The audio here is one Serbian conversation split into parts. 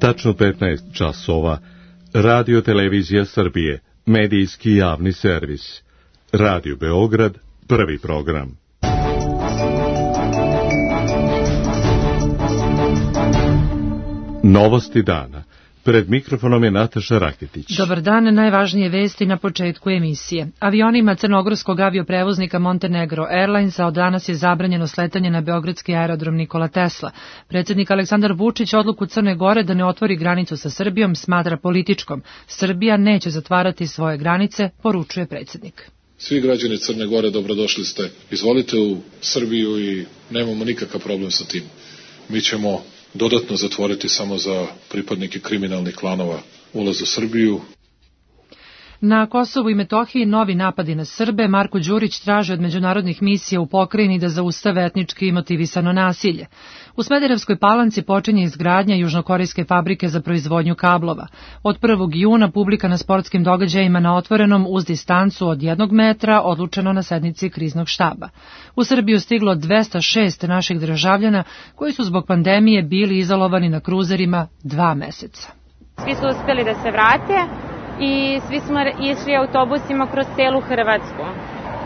Tačno 15 časova. Radio Televizija Srbije, medijski javni servis. Radio Beograd, prvi program. Novosti dana. Pred mikrofonom je Nataša Raketić. Dobar dan, najvažnije vesti na početku emisije. Avionima crnogorskog avioprevoznika Montenegro Airlinesa od danas je zabranjeno sletanje na beogradski aerodrom Nikola Tesla. Predsjednik Aleksandar Vučić odluku Crne Gore da ne otvori granicu sa Srbijom smatra političkom. Srbija neće zatvarati svoje granice, poručuje predsjednik. Svi građani Crne Gore dobrodošli ste. Izvolite u Srbiju i nemamo nikakav problem sa tim. Mi ćemo dodatno zatvoriti samo za pripadnike kriminalnih klanova ulaz u Srbiju. Na Kosovu i Metohiji novi napadi na Srbe. Marko Đurić traži od međunarodnih misija u pokrajini da zaustave etnički motivisano nasilje. U Smederevskoj Palanci počinje izgradnja južnokorejske fabrike za proizvodnju kablova. Od 1. juna publika na sportskim događajima na otvorenom uz distancu od 1 metra odlučeno na sednici kriznog štaba. U Srbiju stiglo 206 naših državljana koji su zbog pandemije bili izolovani na kruzerima 2 meseca. Svi su uspjeli da se vrate i svi smo išli autobusima kroz celu Hrvatsku.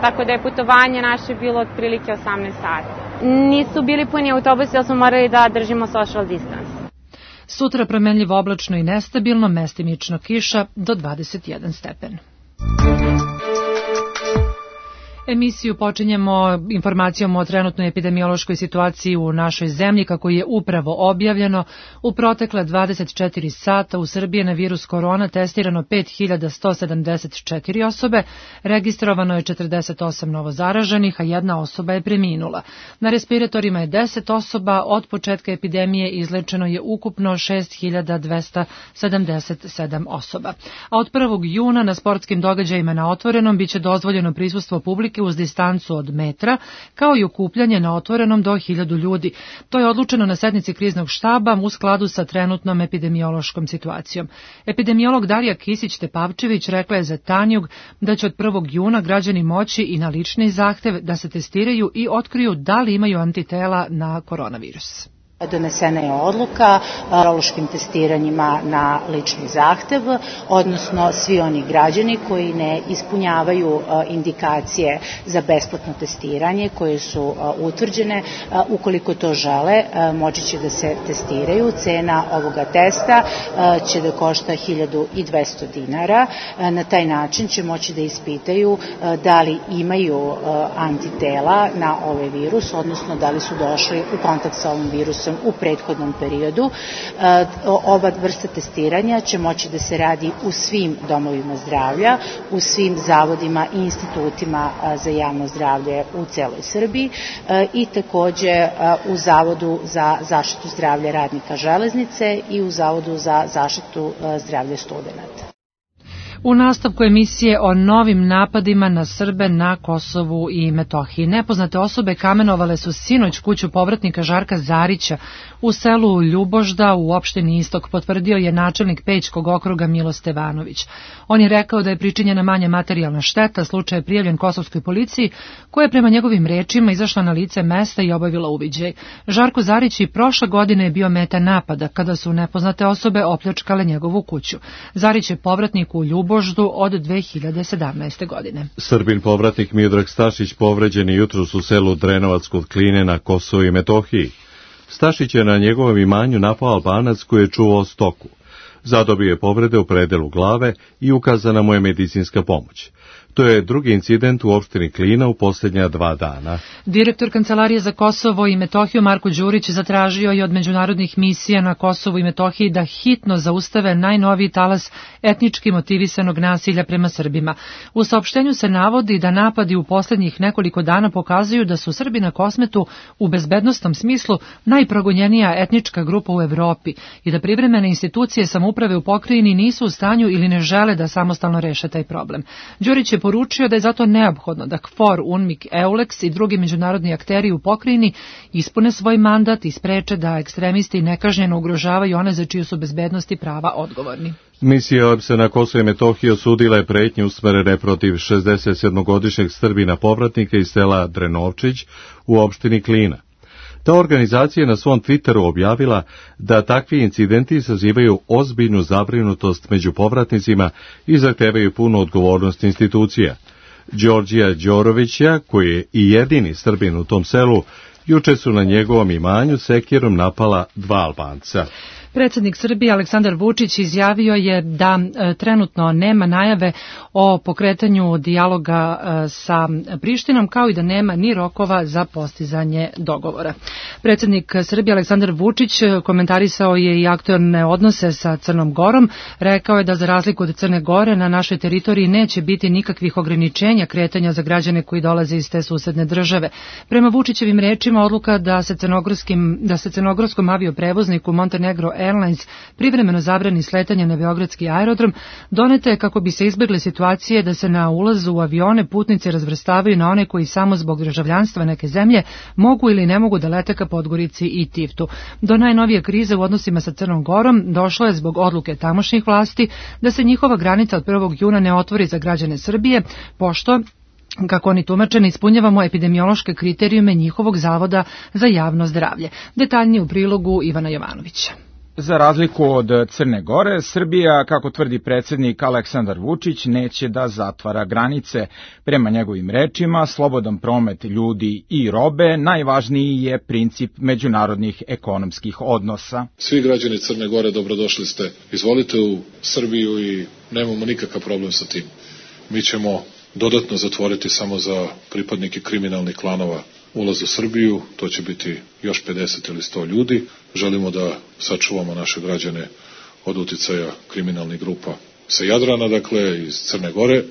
Tako da je putovanje naše bilo otprilike 18 sati. Nisu bili puni autobusi, jer smo morali da držimo social distance. Sutra promenljivo oblačno i nestabilno, mestimično kiša do 21 stepen. Emisiju počinjemo informacijom o trenutnoj epidemiološkoj situaciji u našoj zemlji, kako je upravo objavljeno. U protekle 24 sata u Srbiji na virus korona testirano 5174 osobe, registrovano je 48 novozaraženih, a 1 osoba je preminula. Na respiratorima je 10 osoba, od početka epidemije izlečeno je ukupno 6277 osoba. A od 1. juna na sportskim događajima na otvorenom biće dozvoljeno prisustvo publike uz distancu od metra, kao i okupljanje na otvorenom do 1000 ljudi. To je odlučeno na sednici kriznog štaba u skladu sa trenutnom epidemiološkom situacijom. Epidemiolog Darija Kisić-Tepavčević rekla je za Tanjug da će od 1. juna građani moći i na lični zahtev da se testiraju i otkriju da li imaju antitela na koronavirus. Donesena je odluka o virološkim testiranjima na lični zahtev, odnosno svi oni građani koji ne ispunjavaju indikacije za besplatno testiranje koje su utvrđene, ukoliko to žele, moći će da se testiraju. Cena ovoga testa će da košta 1200 dinara. Na taj način će moći da ispitaju da li imaju antitela na ovaj virus, odnosno da li su došli u kontakt sa ovim virusom u prethodnom periodu. Ova vrsta testiranja će moći da se radi u svim domovima zdravlja, u svim zavodima i institutima za javno zdravlje u celoj Srbiji i takođe u Zavodu za zaštitu zdravlja radnika železnice i u Zavodu za zaštitu zdravlja studenata. U nastavku emisije o novim napadima na Srbe na Kosovu i Metohiji. Nepoznate osobe kamenovale su sinoć kuću povratnika Žarka Zarića u selu Ljubožda u opštini Istok, potvrdio je načelnik Pećkog okruga Milo Stevanović. On je rekao da je pričinjena manja materijalna šteta, slučaj je prijavljen kosovskoj policiji, koja je prema njegovim rečima izašla na lice mesta i obavila uviđaj. Žarko Zarić i prošle godine je bio meta napada, kada su nepoznate osobe opljačkale njegovu kuću. Zarić je povratnik u Ljuboždu od 2017. godine. Srbin povratnik Miodrag Stašić povređen je jutros u selu Drenovac kod Kline na Kosovu i Metohiji. Stašić je na njegovom imanju napao Albanac koji je čuvao stoku. Zadobio je povrede u predelu glave i ukazana mu je medicinska pomoć. To je drugi incident u opštini Klina u posljednja 2 dana. Direktor Kancelarije za Kosovo i Metohiju Marko Đurić zatražio je od međunarodnih misija na Kosovu i Metohiji da hitno zaustave najnoviji talas etnički motivisanog nasilja prema Srbima. U saopštenju se navodi da napadi u posljednjih nekoliko dana pokazuju da su Srbi na Kosmetu u bezbednosnom smislu najprogonjenija etnička grupa u Evropi i da privremene institucije samouprave u pokrajini nisu u stanju ili ne žele da samostalno reše taj problem. Đurić je poručio da je zato neophodno da KFOR, UNMIK, EULEX i drugi međunarodni akteri u pokrajini ispune svoj mandat i spreče da ekstremisti nekažnjeno ugrožavaju one za čiju su bezbednost i prava odgovorni. Misija OEBS-a na Kosovo i Metohiji osudila je pretnje usmerene protiv 67-godišnjeg Srbina povratnika iz sela Drenovčić u opštini Klina. Ta organizacija je na svom Twitteru objavila da takvi incidenti izazivaju ozbiljnu zabrinutost među povratnicima i zahtevaju punu odgovornost institucija. Đorđija Đorovića, koji je i jedini Srbin u tom selu, juče su na njegovom imanju sekirom napala 2 Albanca. Predsjednik Srbije Aleksandar Vučić izjavio je da trenutno nema najave o pokretanju dijaloga sa Prištinom, kao i da nema ni rokova za postizanje dogovora. Predsjednik Srbije Aleksandar Vučić komentarisao je i aktuelne odnose sa Crnom Gorom. Rekao je da za razliku od Crne Gore na našoj teritoriji neće biti nikakvih ograničenja kretanja za građane koji dolaze iz te susedne države. Prema Vučićevim rečima, odluka da se crnogorskom avioprevozniku Montenegro Airlines privremeno zabrani sletanje na beogradski aerodrom doneta je kako bi se izbjegle situacije da se na ulazu u avione putnici razvrstavaju na one koji samo zbog državljanstva neke zemlje mogu ili ne mogu da lete ka Podgorici i Tivtu. Do najnovije krize u odnosima sa Crnom Gorom došlo je zbog odluke tamošnjih vlasti da se njihova granica od 1. juna ne otvori za građane Srbije, pošto, kako oni tumače, ne ispunjavamo epidemiološke kriterijume njihovog zavoda za javno zdravlje. Detaljnije u prilogu Ivana Jovanovića. Za razliku od Crne Gore, Srbija, kako tvrdi predsjednik Aleksandar Vučić, neće da zatvara granice. Prema njegovim rečima, slobodan promet ljudi i robe najvažniji je princip međunarodnih ekonomskih odnosa. Svi građani Crne Gore dobrodošli ste. Izvolite u Srbiju i nemamo nikakav problem sa tim. Mi ćemo dodatno zatvoriti samo za pripadnike kriminalnih klanova ulaz u Srbiju, to će biti još 50 ili 100 ljudi. Želimo da sačuvamo naše građane od uticaja kriminalnih grupa sa Jadrana, dakle iz Crne Gore.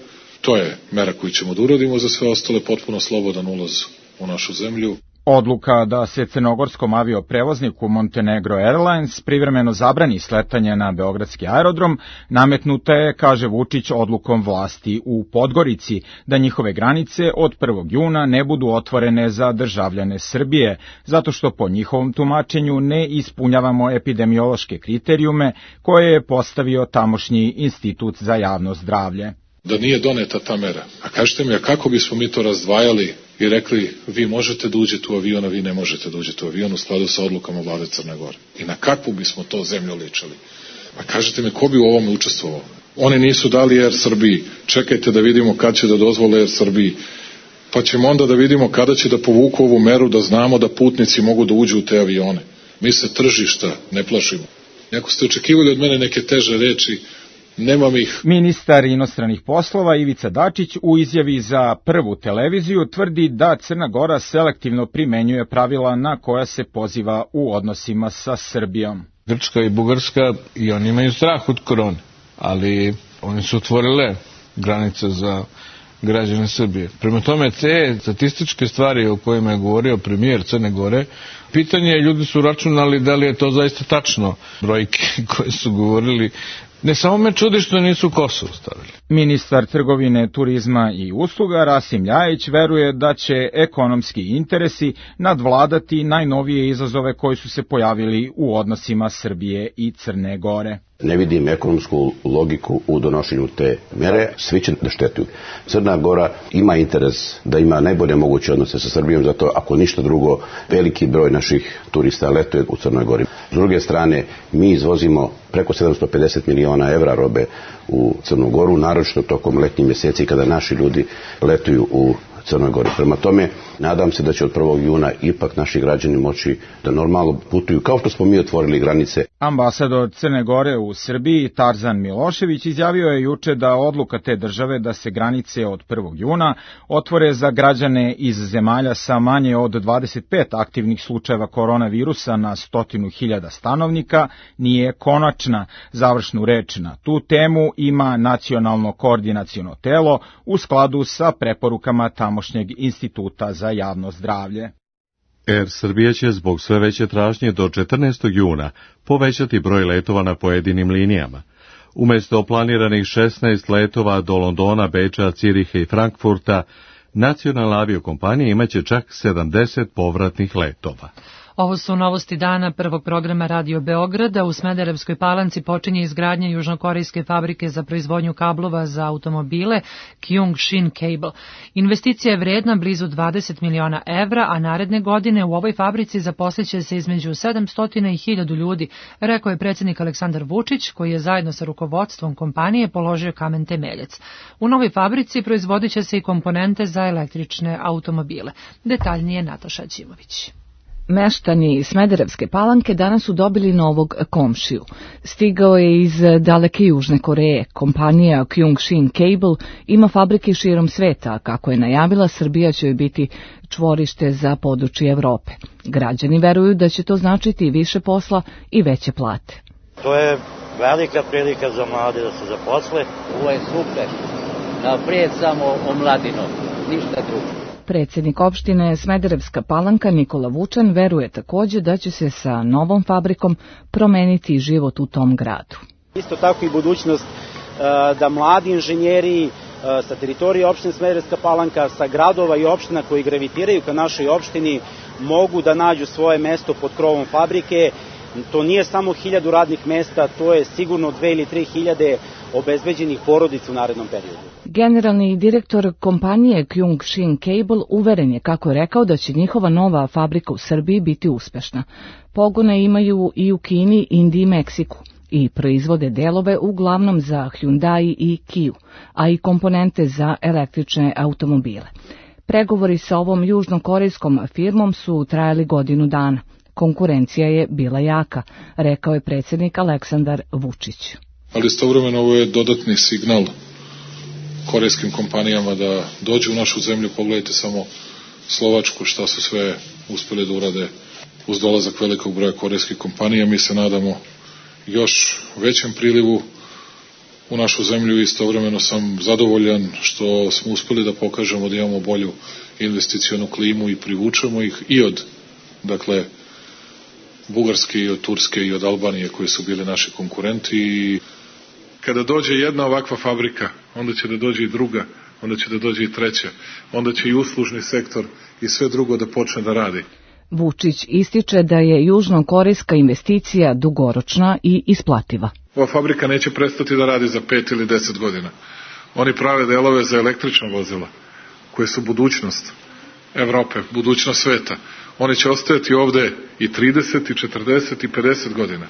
To je mera koju ćemo da uradimo, za sve ostale potpuno slobodan ulaz u našu zemlju. Odluka da se crnogorskom avioprevozniku Montenegro Airlines privremeno zabrani sletanje na beogradski aerodrom nametnuta je, kaže Vučić, odlukom vlasti u Podgorici, da njihove granice od 1. juna ne budu otvorene za državljane Srbije, zato što po njihovom tumačenju ne ispunjavamo epidemiološke kriterijume koje je postavio tamošnji Institut za javno zdravlje. Da nije doneta ta mera. A kažete mi, a kako bismo mi to razdvajali i rekli, vi možete da uđete u avion, a vi ne možete da uđete u avion u skladu sa odlukama vlade Crne Gore? I na kakvu bismo to zemlju ličili? A kažete mi, ko bi u ovome učestvovao? Oni nisu dali Air Srbiji. Čekajte da vidimo kad će da dozvole Air Srbiji. Pa ćemo onda da vidimo kada će da povuku ovu meru, da znamo da putnici mogu da uđu u te avione. Mi se tržišta ne plašimo. Ako ste očekivali od mene neke teže reči, nemam ih. Ministar inostranih poslova Ivica Dačić u izjavi za Prvu televiziju tvrdi da Crna Gora selektivno primenjuje pravila na koja se poziva u odnosima sa Srbijom. Grčka i Bugarska i oni imaju strah od korone, ali oni su otvorile granice za građane Srbije. Prema tome, te statističke stvari o kojima je govorio premijer Crne Gore, pitanje je, ljudi su računali da li je to zaista tačno, brojke koje su govorili. Ne samo me čudi što nisu Kosovo stavili. Ministar trgovine, turizma i usluga Rasim Ljajić veruje da će ekonomski interesi nadvladati najnovije izazove koji su se pojavili u odnosima Srbije i Crne Gore. Ne vidim ekonomsku logiku u donošenju te mere, svi će da štetuju. Crna Gora ima interes da ima najbolje moguće odnose sa Srbijom, zato ako ništa drugo, veliki broj naših turista letuje u Crnoj Gori. S druge strane, mi izvozimo preko 750 miliona evra robe u Crnu Goru, naročito tokom letnjih mjeseci kada naši ljudi letuju u Crnoj Gori. Prema tome, nadam se da će od 1. juna ipak naši građani moći da normalno putuju, kao što smo mi otvorili granice. Ambasador Crne Gore u Srbiji, Tarzan Milošević, izjavio je juče da odluka te države da se granice od 1. juna otvore za građane iz zemalja sa manje od 25 aktivnih slučajeva koronavirusa na 100.000 stanovnika nije konačna. Završnu reč na tu temu ima Nacionalno koordinaciono telo u skladu sa preporukama tamošnjeg Instituta za javno zdravlje. Air Srbija će zbog sve veće tražnje do 14. juna povećati broj letova na pojedinim linijama. Umjesto planiranih 16 letova do Londona, Beča, Ciriha i Frankfurta, nacionalna aviokompanija imaće čak 70 povratnih letova. Ovo su novosti dana prvog programa Radio Beograda. U Smederevskoj Palanci počinje izgradnja južnokorejske fabrike za proizvodnju kablova za automobile Kyung-Shin Cable. Investicija je vredna blizu 20 miliona evra, a naredne godine u ovoj fabrici zaposliće se između 700 i 1000 ljudi, rekao je predsjednik Aleksandar Vučić, koji je zajedno sa rukovodstvom kompanije položio kamen temeljac. U novoj fabrici proizvodit će se i komponente za električne automobile. Detaljnije Nataša Ćimović. Meštani Smederevske Palanke danas su dobili novog komšiju. Stigao je iz daleke Južne Koreje. Kompanija Kyung-Shin Cable ima fabrike širom sveta, a kako je najavila, Srbija će joj biti čvorište za područje Evrope. Građani veruju da će to značiti više posla i veće plate. To je velika prilika za mlade da se zaposle. Ovo je super. Naprijed samo omladino, ništa drugo. Predsjednik opštine Smederevska Palanka Nikola Vučan veruje također da će se sa novom fabrikom promeniti život u tom gradu. Isto tako i budućnost da mladi inženjeri sa teritorije opštine Smederevska Palanka, sa gradova i opština koji gravitiraju ka našoj opštini mogu da nađu svoje mesto pod krovom fabrike. To nije samo 1000 radnih mesta, to je sigurno 2 ili 3 hiljade obezbeđenih porodica u narednom periodu. Generalni direktor kompanije Kyung-Shin Cable uveren je, kako je rekao, da će njihova nova fabrika u Srbiji biti uspešna. Pogone imaju i u Kini, Indiji i Meksiku i proizvode delove uglavnom za Hyundai i Kia, a i komponente za električne automobile. Pregovori sa ovom južnokorejskom firmom su trajali godinu dana. Konkurencija je bila jaka, rekao je predsjednik Aleksandar Vučić. Ali istovremeno ovo je dodatni signal korejskim kompanijama da dođu u našu zemlju. Pogledajte samo Slovačku, šta su sve uspjeli da urade uz dolazak velikog broja korejskih kompanija. Mi se nadamo još većem prilivu u našu zemlju i istovremeno sam zadovoljan što smo uspjeli da pokažemo da imamo bolju investicionu klimu i privučemo ih i od, dakle, Bugarske i od Turske i od Albanije koji su bili naši konkurenti. I kada dođe jedna ovakva fabrika, onda će da dođe i druga, onda će da dođe i treća, onda će i uslužni sektor i sve drugo da počne da radi. Vučić ističe da je južnokorejska investicija dugoročna i isplativa. Ova fabrika neće prestati da radi za 5 ili 10 godina. Oni prave delove za električna vozila, koje su budućnost Evrope, budućnost sveta. Oni će ostajati ovde i 30, i 40, i 50 godina.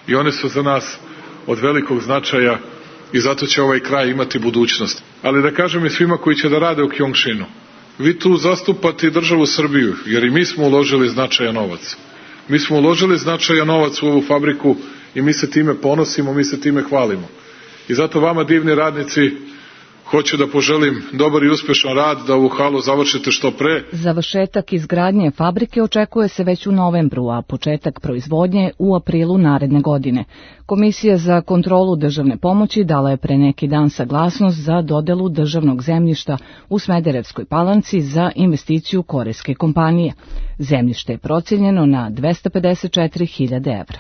I one su za nas od velikog značaja i zato će ovaj kraj imati budućnost. Ali da kažem i svima koji će da rade u Kyung-Shinu, vi tu zastupate državu Srbiju, jer i mi smo uložili značajan novac. Mi smo uložili značajan novac u ovu fabriku i mi se time ponosimo, mi se time hvalimo. I zato vama, divni radnici, hoću da poželim dobar i uspešan rad, da ovu halu završite što pre. Završetak izgradnje fabrike očekuje se već u novembru, a početak proizvodnje u aprilu naredne godine. Komisija za kontrolu državne pomoći dala je pre neki dan saglasnost za dodelu državnog zemljišta u Smederevskoj Palanci za investiciju korejske kompanije. Zemljište je procijenjeno na 254.000 evra.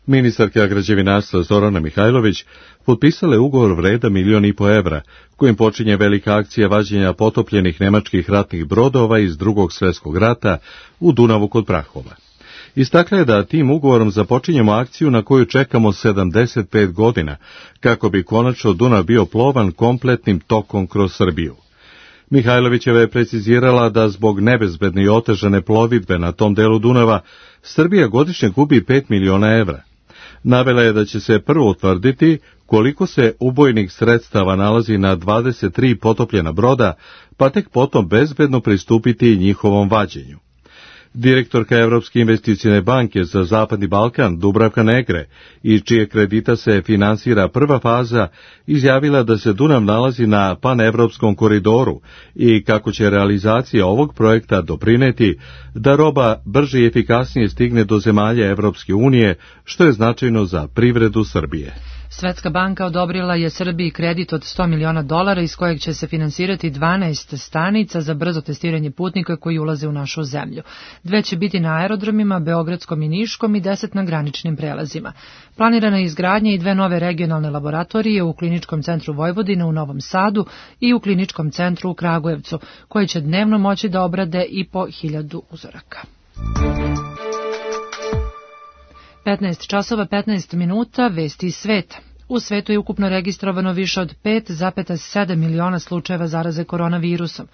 Ministarka građevinarstva Zorana Mihajlović potpisala je ugovor vredan 1,5 miliona evra, kojim počinje velika akcija vađenja potopljenih nemačkih ratnih brodova iz Drugog svjetskog rata u Dunavu kod Prahova. Istakla je da tim ugovorom započinjemo akciju na koju čekamo 75 godina, kako bi konačno Dunav bio plovan kompletnim tokom kroz Srbiju. Mihajlovićeva je precizirala da zbog nebezbedne i otežane plovidbe na tom delu Dunava Srbija godišnje gubi 5 miliona evra. Navela je da će se prvo utvrditi koliko se ubojnih sredstava nalazi na 23 potopljena broda, pa tek potom bezbedno pristupiti njihovom vađenju. Direktorka Evropske investicione banke za Zapadni Balkan, Dubravka Negre, iz čije kredita se finansira prva faza, izjavila da se Dunav nalazi na panevropskom koridoru i kako će realizacija ovog projekta doprineti da roba brže i efikasnije stigne do zemalja Evropske unije, što je značajno za privredu Srbije. Svetska banka odobrila je Srbiji kredit od $100 miliona iz kojeg će se finansirati 12 stanica za brzo testiranje putnika koji ulaze u našu zemlju. 2 će biti na aerodromima, Beogradskom i Niškom i 10 na graničnim prelazima. Planirana je izgradnja i 2 nove regionalne laboratorije u Kliničkom centru Vojvodine u Novom Sadu i u Kliničkom centru u Kragujevcu, koje će dnevno moći da obrade i po 1000 uzoraka. 15 časova 15 minuta, vesti iz sveta. U svetu je ukupno registrovano više od 5,7 miliona slučajeva zaraze koronavirusom.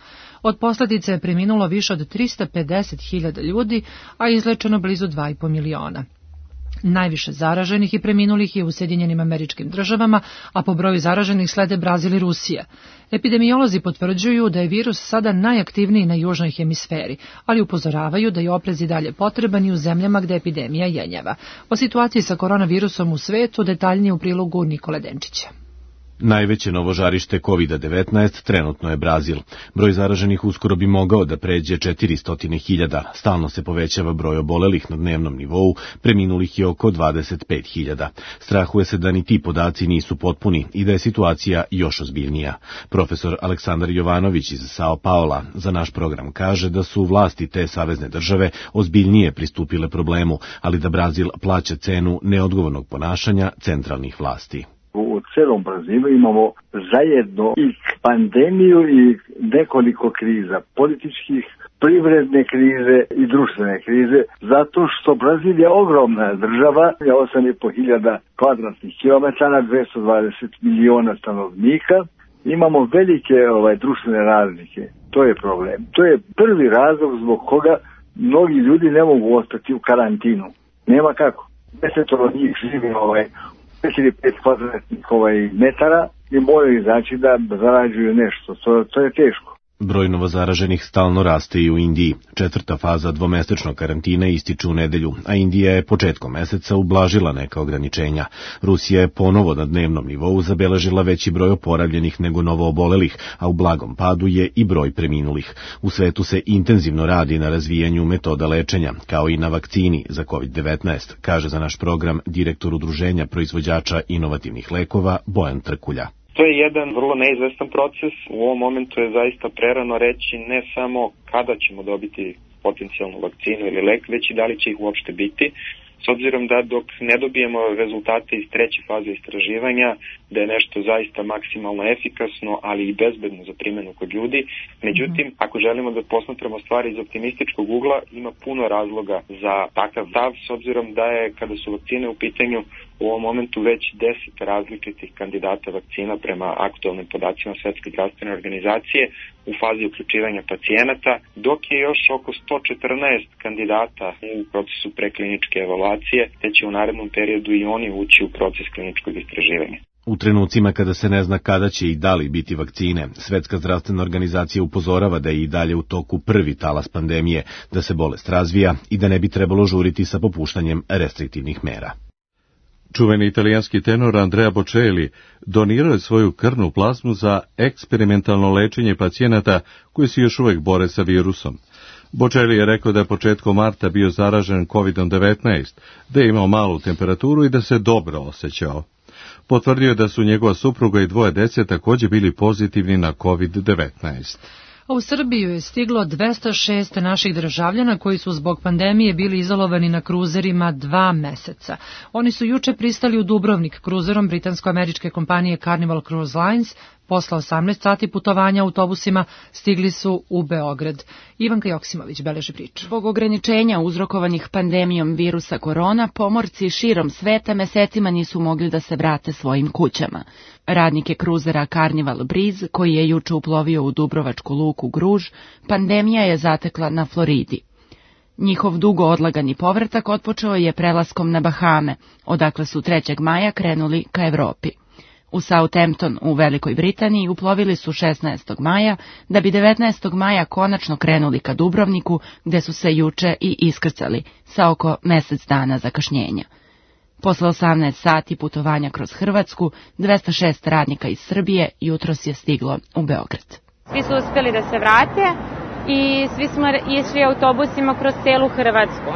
Od posljedice je preminulo više od 350.000 ljudi, a izlečeno blizu 2,5 miliona. Najviše zaraženih i preminulih je u Sjedinjenim Američkim Državama, a po broju zaraženih slede Brazil i Rusija. Epidemiolozi potvrđuju da je virus sada najaktivniji na južnoj hemisferi, ali upozoravaju da je oprez i dalje potreban i u zemljama gde epidemija jenjava. O situaciji sa koronavirusom u svetu detaljnije u prilogu Nikole Denčića. Najveće novo žarište COVID-19 trenutno je Brazil. Broj zaraženih uskoro bi mogao da pređe 400.000. Stalno se povećava broj obolelih na dnevnom nivou, preminulih je oko 25.000. Strahuje se da ni ti podaci nisu potpuni i da je situacija još ozbiljnija. Profesor Aleksandar Jovanović iz Sao Paula za naš program kaže da su vlasti te savezne države ozbiljnije pristupile problemu, ali da Brazil plaća cenu neodgovornog ponašanja centralnih vlasti. U celom Brazilu imamo zajedno i pandemiju i nekoliko kriza, političkih, privredne krize i društvene krize, zato što Brazil je ogromna država, 8.500 kvadratnih kilometara, 220 miliona stanovnika, imamo velike društvene razlike. To je problem. To je prvi razlog zbog koga mnogi ljudi ne mogu ostati u karantinu. Nema kako. 10 njih živi 4-5 kvadratnih metara i moraju znači da zarađuju nešto. To je teško. Broj novozaraženih stalno raste i u Indiji. 4. faza dvomesečnog karantina ističe u nedelju, a Indija je početkom meseca ublažila neka ograničenja. Rusija je ponovo na dnevnom nivou zabeležila veći broj oporavljenih nego novoobolelih, a u blagom padu je i broj preminulih. U svetu se intenzivno radi na razvijanju metoda lečenja, kao i na vakcini za COVID-19, kaže za naš program direktor Udruženja proizvođača inovativnih lekova Bojan Trkulja. To je jedan vrlo neizvestan proces. U ovom momentu je zaista prerano reći ne samo kada ćemo dobiti potencijalnu vakcinu ili lek, već i da li će ih uopšte biti. S obzirom da dok ne dobijemo rezultate iz 3. faze istraživanja, da je nešto zaista maksimalno efikasno, ali i bezbedno za primjenu kod ljudi. Međutim, ako želimo da posmatramo stvari iz optimističkog ugla, ima puno razloga za takav stav, s obzirom da je, kada su vakcine u pitanju, u ovom momentu već 10 različitih kandidata vakcina prema aktualnim podacima Svetske zdravstvene organizacije u fazi uključivanja pacijenata, dok je još oko 114 kandidata u procesu prekliničke evaluacije, te će u narednom periodu i oni ući u proces kliničkog istraživanja. U trenucima kada se ne zna kada će i da li biti vakcine, Svetska zdravstvena organizacija upozorava da je i dalje u toku prvi talas pandemije, da se bolest razvija i da ne bi trebalo žuriti sa popuštanjem restriktivnih mera. Čuveni italijanski tenor Andrea Bocelli donirao je svoju krvnu plazmu za eksperimentalno lečenje pacijenata koji se još uvijek bore sa virusom. Bocelli je rekao da je početkom marta bio zaražen COVID-19, da je imao malu temperaturu i da se dobro osjećao. Potvrdio je da su njegova supruga i 2 dece također bili pozitivni na COVID-19. U Srbiju je stiglo 206 naših državljana koji su zbog pandemije bili izolovani na kruzerima 2 meseca. Oni su juče pristali u Dubrovnik kruzerom britansko-američke kompanije Carnival Cruise Lines. Posle 18 sati putovanja autobusima stigli su u Beograd. Ivanka Joksimović beleži priču. Zbog ograničenja uzrokovanih pandemijom virusa korona, pomorci širom sveta mesecima nisu mogli da se vrate svojim kućama. Radnike kruzera Carnival Breeze, koji je juče uplovio u Dubrovačku luku Gruž, pandemija je zatekla na Floridi. Njihov dugo odlagani povratak otpočeo je prelaskom na Bahame, odakle su 3. maja krenuli ka Evropi. U Southampton u Velikoj Britaniji uplovili su 16. maja, da bi 19. maja konačno krenuli ka Dubrovniku, gde su se juče i iskrcali, sa oko mesec dana zakašnjenja. Posle 18 sati putovanja kroz Hrvatsku, 206 radnika iz Srbije jutros je stiglo u Beograd. Svi su uspeli da se vrate i svi smo išli autobusima kroz celu Hrvatsku,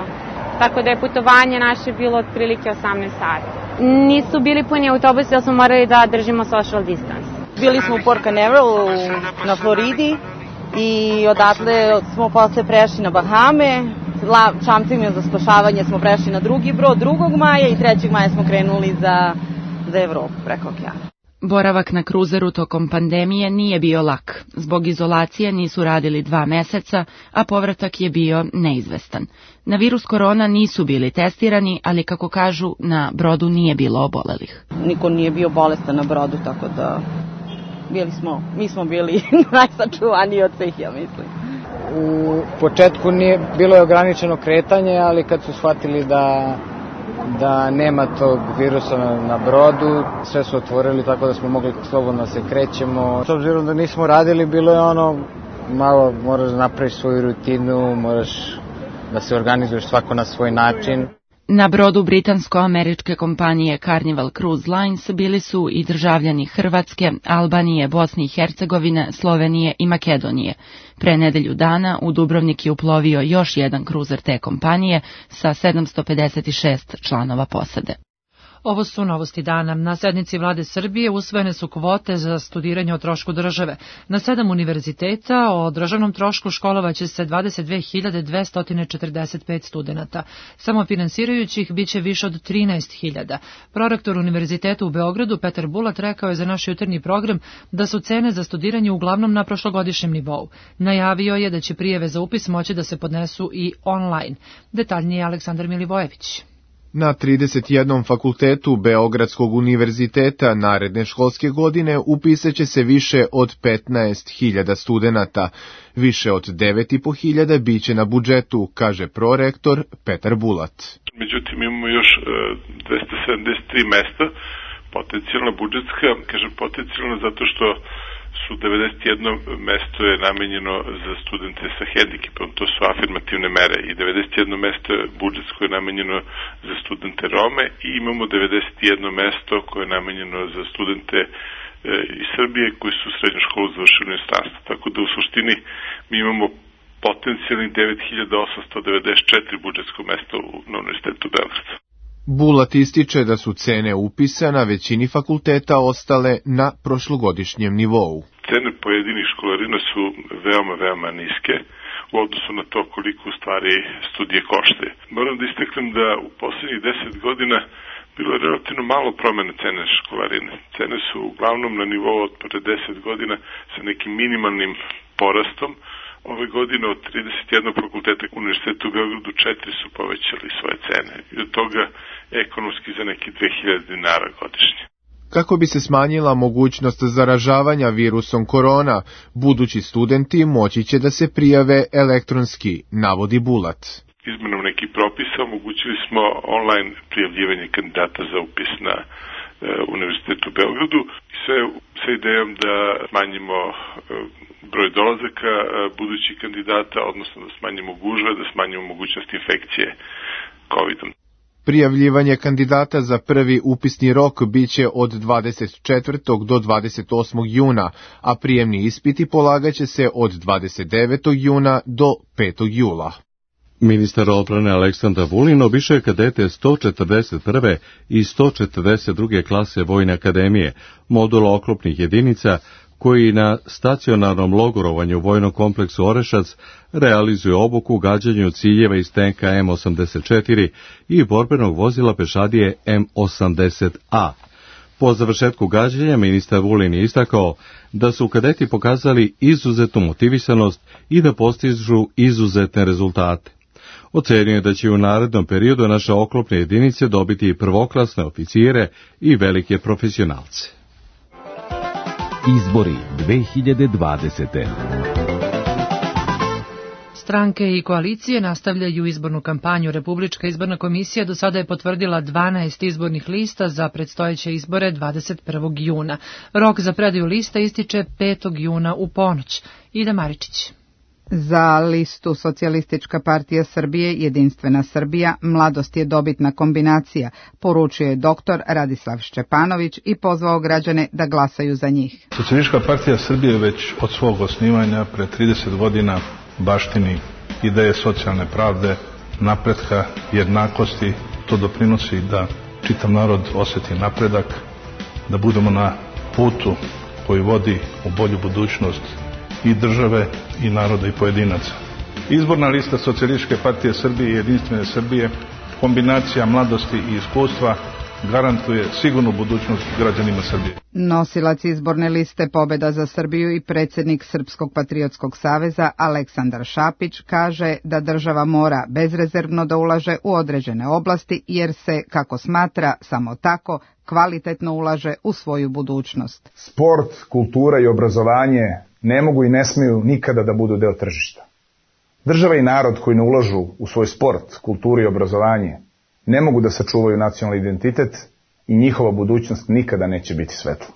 tako da je putovanje naše bilo otprilike 18 sati. Nisu bili puni autobusi, jer smo morali da držimo social distance. Bili smo u Port Canaveral na Floridi i odatle smo posle prešli na Bahame. Čamcima za spašavanje smo prešli na drugi brod 2. maja i 3. maja smo krenuli za Evropu preko okeana. Boravak na kruzeru tokom pandemije nije bio lak. Zbog izolacije nisu radili 2 meseca, a povratak je bio neizvestan. Na virus korona nisu bili testirani, ali kako kažu, na brodu nije bilo obolelih. Niko nije bio bolestan na brodu, tako da mi smo bili najsačuvaniji od svih, ja mislim. U početku bilo je ograničeno kretanje, ali kad su shvatili da nema tog virusa na brodu, sve su otvorili tako da smo mogli slobodno se krećemo. S obzirom da nismo radili, bilo je malo moraš da napraviš svoju rutinu, moraš da se organizuješ svako na svoj način. Na brodu britansko-američke kompanije Carnival Cruise Lines bili su i državljani Hrvatske, Albanije, Bosne i Hercegovine, Slovenije i Makedonije. Pre nedelju dana u Dubrovnik je uplovio još jedan kruzer te kompanije sa 756 članova posade. Ovo su novosti dana. Na sednici vlade Srbije usvojene su kvote za studiranje o trošku države. Na 7 univerziteta o državnom trošku školovaće se 22.245 studenata. Samofinansirajućih biće više od 13.000. Prorektor Univerziteta u Beogradu Petar Bulat rekao je za naš jutarnji program da su cene za studiranje uglavnom na prošlogodišnjem nivou. Najavio je da će prijave za upis moći da se podnesu i online. Detaljnije Aleksandar Milivojević. Na 31 fakultetu Beogradskog univerziteta naredne školske godine upisaće se više od 15.000 studenata. Više od 9.500 biće na budžetu, kaže prorektor Petar Bulat. Međutim, imamo još 273 mesta, potencijalna budžetska, kažem potencijalna zato što su 91 mesto je namenjeno za studente sa hendikepom, to su afirmativne mere, i 91 mesto budžetsko je namenjeno za studente Rome i imamo 91 mesto koje je namenjeno za studente iz Srbije koji su srednju školu završili u inostranstvu. Tako da u suštini mi imamo potencijalnih 9.894 budžetsko mesta na Univerzitetu Beograda. Bulat ističe da su cene upisa na većini fakulteta ostale na prošlogodišnjem nivou. Cene pojedinih školarina su veoma niske u odnosu na to koliko u stvari studije koštaju. Moram da istaknem da u poslednjih 10 godina bilo je relativno malo promene cene školarine. Cene su uglavnom na nivou od pre 10 godina sa nekim minimalnim porastom. Ove godine od 31 fakulteta Univerziteta u Beogradu 4 su povećali svoje cene i od toga ekonomski za neki 2000 dinara godišnje. Kako bi se smanjila mogućnost zaražavanja virusom korona, budući studenti moći će da se prijave elektronski, navodi Bulat. Izmenom nekih propisa omogućili smo online prijavljivanje kandidata za upis na Univerzitetu u Beogradu i sve sa idejom da smanjimo broj dolazaka budućih kandidata, odnosno da smanjimo gužve, da smanjimo mogućnost infekcije COVID-om. Prijavljivanje kandidata za prvi upisni rok biće od 24. do 28. juna, a prijemni ispiti polagaće se od 29. juna do 5. jula. Ministar odbrane Aleksandar Vulin obišao je kadete 141. i 142. klase Vojne akademije, modula oklopnih jedinica, koji na stacionarnom logorovanju u vojnom kompleksu Orešac realizuje obuku gađanju ciljeva iz tenka M84 i borbenog vozila pešadije M80A. Po završetku gađanja ministar Vulin je istakao da su kadeti pokazali izuzetnu motivisanost i da postižu izuzetne rezultate. Ocenio je da će u narednom periodu naše oklopne jedinice dobiti prvoklasne oficire i velike profesionalce. Izbori 2020. Stranke i koalicije nastavljaju izbornu kampanju. Republička izborna komisija do sada je potvrdila 12 izbornih lista za predstojeće izbore 21. juna. Rok za predaju lista ističe 5. juna u ponoć. Ida Maričić. Za listu Socijalistička partija Srbije, Jedinstvena Srbija, mladost je dobitna kombinacija, poručio je doktor Radislav Šćepanović i pozvao građane da glasaju za njih. Socijalistička partija Srbije već od svog osnivanja pre 30 godina baštini ideje socijalne pravde, napretka, jednakosti. To doprinosi da čitav narod osjeti napredak, da budemo na putu koji vodi u bolju budućnost i države, i naroda, i pojedinaca. Izborna lista Socijalističke partije Srbije i Jedinstvene Srbije, kombinacija mladosti i iskustva, garantuje sigurnu budućnost građanima Srbije. Nosilac izborne liste Pobeda za Srbiju i predsjednik Srpskog patriotskog saveza Aleksandar Šapić kaže da država mora bezrezervno da ulaže u određene oblasti jer se, kako smatra, samo tako kvalitetno ulaže u svoju budućnost. Sport, kultura i obrazovanje ne mogu i ne smiju nikada da budu deo tržišta. Država i narod koji ne ulažu u svoj sport, kulturu i obrazovanje ne mogu da sačuvaju nacionalni identitet i njihova budućnost nikada neće biti svetla.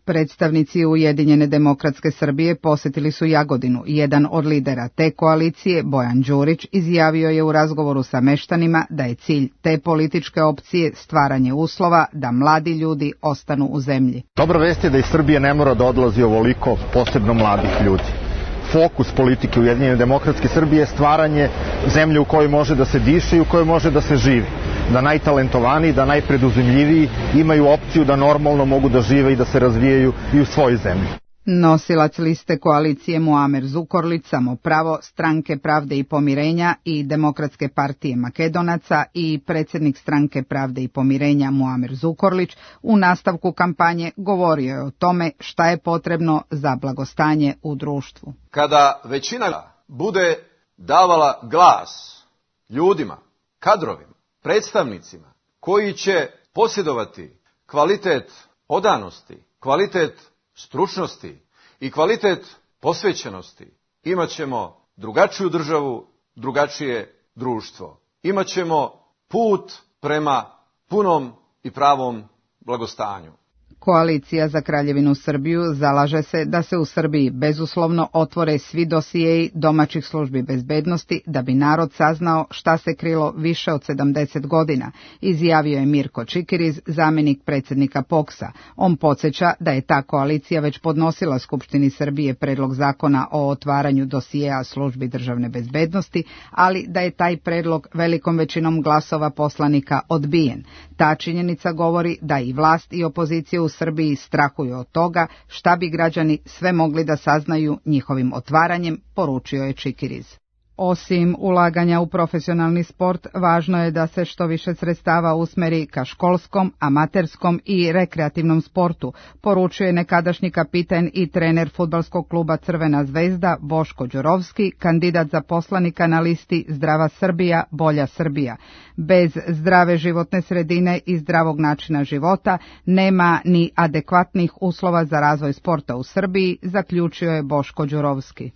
Predstavnici Ujedinjene demokratske Srbije posjetili su Jagodinu. Jedan od lidera te koalicije, Bojan Đurić, izjavio je u razgovoru sa meštanima da je cilj te političke opcije stvaranje uslova da mladi ljudi ostanu u zemlji. Dobra vest je da iz Srbije ne mora da odlazi ovoliko, posebno mladih ljudi. Fokus politike Ujedinjene demokratske Srbije je stvaranje zemlje u kojoj može da se diše i u kojoj može da se živi. Da najtalentovaniji, da najpreduzimljiviji imaju opciju da normalno mogu da žive i da se razvijaju i u svojoj zemlji. Nosilac liste koalicije Muamer Zukorlić, Samopravo, Stranke pravde i pomirenja i Demokratske partije Makedonaca i predsjednik Stranke pravde i pomirenja Muamer Zukorlić u nastavku kampanje govorio je o tome šta je potrebno za blagostanje u društvu. Kada većina bude davala glas ljudima, kadrovima, predstavnicima koji će posjedovati kvalitet odanosti, kvalitet stručnosti i kvalitet posvećenosti, imaćemo drugačiju državu, drugačije društvo. Imaćemo put prema punom i pravom blagostanju. Koalicija za Kraljevinu Srbiju zalaže se da se u Srbiji bezuslovno otvore svi dosijeji domaćih službi bezbednosti da bi narod saznao šta se krilo više od 70 godina, izjavio je Mirko Čikiriz, zamjenik predsjednika POKS-a. On podsjeća da je ta koalicija već podnosila Skupštini Srbije predlog zakona o otvaranju dosijeja službi državne bezbednosti, ali da je taj predlog velikom većinom glasova poslanika odbijen. Ta činjenica govori da i vlast i opozicija u Srbiji strahuju od toga šta bi građani sve mogli da saznaju njihovim otvaranjem, poručio je Čikiriz. Osim ulaganja u profesionalni sport, važno je da se što više sredstava usmeri ka školskom, amaterskom i rekreativnom sportu, poručuje nekadašnji kapiten i trener fudbalskog kluba Crvena zvezda Boško Đurovski, kandidat za poslanika na listi Zdrava Srbija, Bolja Srbija. Bez zdrave životne sredine i zdravog načina života nema ni adekvatnih uslova za razvoj sporta u Srbiji, zaključio je Boško Đurovski.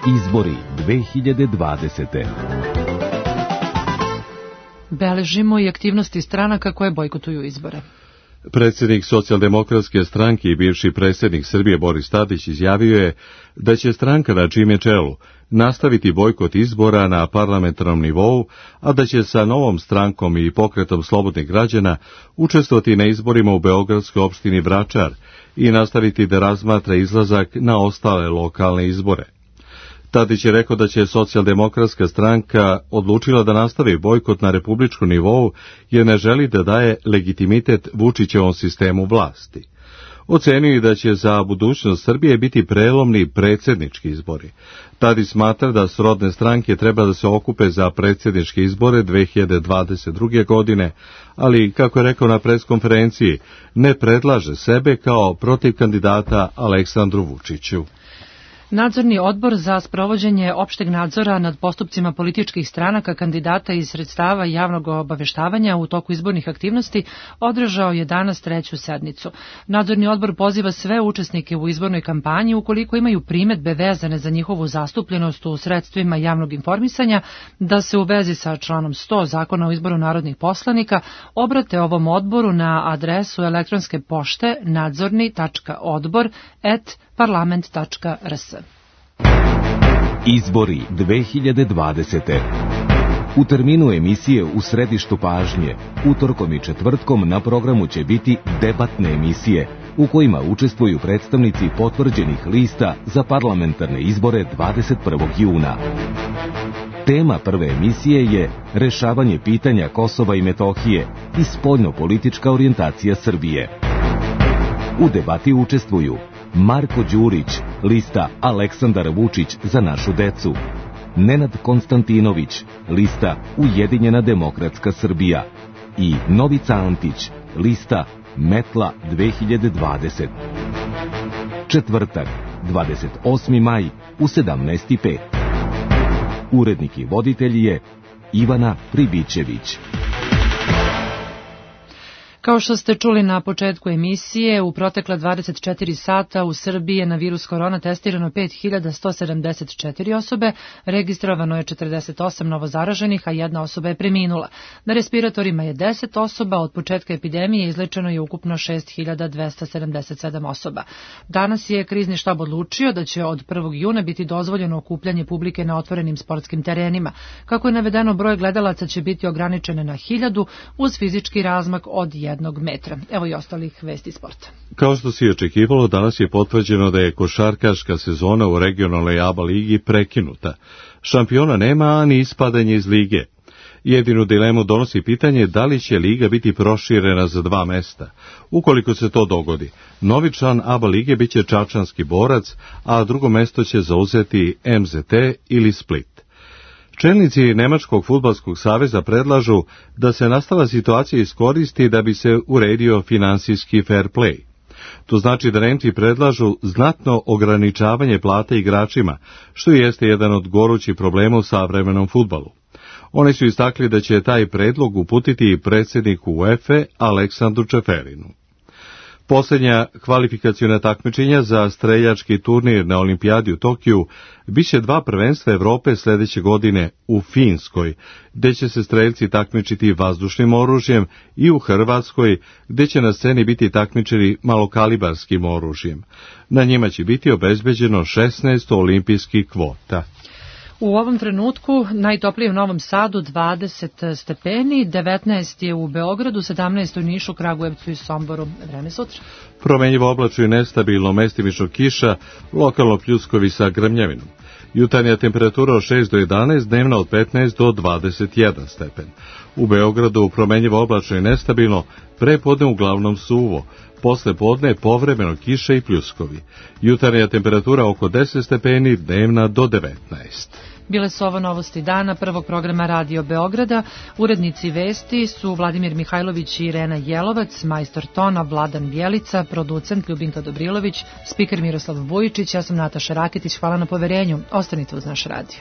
Izbori 2020. Beležimo i aktivnosti stranaka koje bojkotuju izbore. Predsjednik Socijaldemokratske stranke i bivši predsjednik Srbije Boris Tadić izjavio je da će stranka na čijem je čelu nastaviti bojkot izbora na parlamentarnom nivou, a da će sa novom strankom i pokretom slobodnih građana učestvovati na izborima u beogradskoj opštini Vračar i nastaviti da razmatra izlazak na ostale lokalne izbore. Tadić je rekao da će Socijaldemokratska stranka odlučila da nastavi bojkot na republičkom nivou jer ne želi da daje legitimitet Vučićevom sistemu vlasti. Ocenio je da će za budućnost Srbije biti prelomni predsjednički izbori. Tadić smatra da srodne stranke treba da se okupe za predsjedničke izbore 2022. godine, ali, kako je rekao na preskonferenciji, ne predlaže sebe kao protiv kandidata Aleksandru Vučiću. Nadzorni odbor za sprovođenje opšteg nadzora nad postupcima političkih stranaka kandidata iz sredstava javnog obaveštavanja u toku izbornih aktivnosti održao je danas 3. sednicu. Nadzorni odbor poziva sve učesnike u izbornoj kampanji, ukoliko imaju primedbe vezane za njihovu zastupljenost u sredstvima javnog informisanja, da se u vezi sa članom 100 Zakona o izboru narodnih poslanika obrate ovom odboru na adresu elektronske pošte nadzorni.odbor@parlament.rs. Izbori 2020. U terminu emisije U središtu pažnje, utorkom i četvrtkom na programu će biti debatne emisije, u kojima učestvuju predstavnici potvrđenih lista za parlamentarne izbore 21. juna. Tema prve emisije je rešavanje pitanja Kosova i Metohije i spoljno-politička orijentacija Srbije. U debati učestvuju Marko Đurić, lista Aleksandar Vučić za našu decu, Nenad Konstantinović, lista Ujedinjena demokratska Srbija, i Novica Antić, lista Metla 2020. Četvrtak, 28. maj u 17:05. Urednik i voditelj je Ivana Pribićević. Kao što ste čuli na početku emisije, u protekla 24 sata u Srbiji je na virus korona testirano 5174 osobe, registrovano je 48 novozaraženih, a jedna osoba je preminula. Na respiratorima je 10 osoba, od početka epidemije izlečeno je ukupno 6277 osoba. Danas je krizni štab odlučio da će od 1. juna biti dozvoljeno okupljanje publike na otvorenim sportskim terenima. Kako je navedeno, broj gledalaca će biti ograničen na 1000 uz fizički razmak od 1 metra. Evo i ostalih vesti sporta. Kao što se očekivalo, danas je potvrđeno da je košarkaška sezona u regionalnoj ABA ligi prekinuta. Šampiona nema, a ni ispadanje iz lige. Jedinu dilemu donosi pitanje da li će liga biti proširena za 2 mesta. Ukoliko se to dogodi, novi član ABA lige biće Čačanski Borac, a drugo mesto će zauzeti MZT ili Split. Čelnici Nemačkog fudbalskog saveza predlažu da se nastala situacija iskoristi da bi se uredio finansijski fair play. To znači da Nemci predlažu znatno ograničavanje plata igračima, što jeste jedan od gorućih problema u savremenom fudbalu. Oni su istakli da će taj predlog uputiti predsjedniku UEFA Aleksandru Čeferinu. Posljednja kvalifikaciona takmičenja za streljački turnir na Olimpijadi u Tokiju biće 2 prvenstva Evrope sljedeće godine u Finskoj, gdje će se streljci takmičiti vazdušnim oružjem, i u Hrvatskoj, gdje će na sceni biti takmičeni malokalibarskim oružjem. Na njima će biti obezbeđeno 16 olimpijskih kvota. U ovom trenutku najtoplije u Novom Sadu 20 stepeni, 19 je u Beogradu, 17 u Nišu, Kragujevcu i Somboru. Vreme sutra. Promenjivo oblačno i nestabilno, mestimično kiša, lokalno pljuskovi sa grmljavinom. Jutarnja temperatura od 6 do 11, dnevna od 15 do 21 stepen. U Beogradu promenjivo oblačno i nestabilno, prepodne uglavnom suvo, posle podne povremeno kiša i pljuskovi. Jutarnja temperatura oko 10 stepeni, dnevna do 19. Bile su ovo novosti dana prvog programa Radio Beograda. Urednici vesti su Vladimir Mihajlović i Irena Jelovac, majstor tona Vladan Bjelica, producent Ljubinka Dobrilović, spiker Miroslav Vujičić, ja sam Nataša Raketić, hvala na poverenju. Ostanite uz naš radio.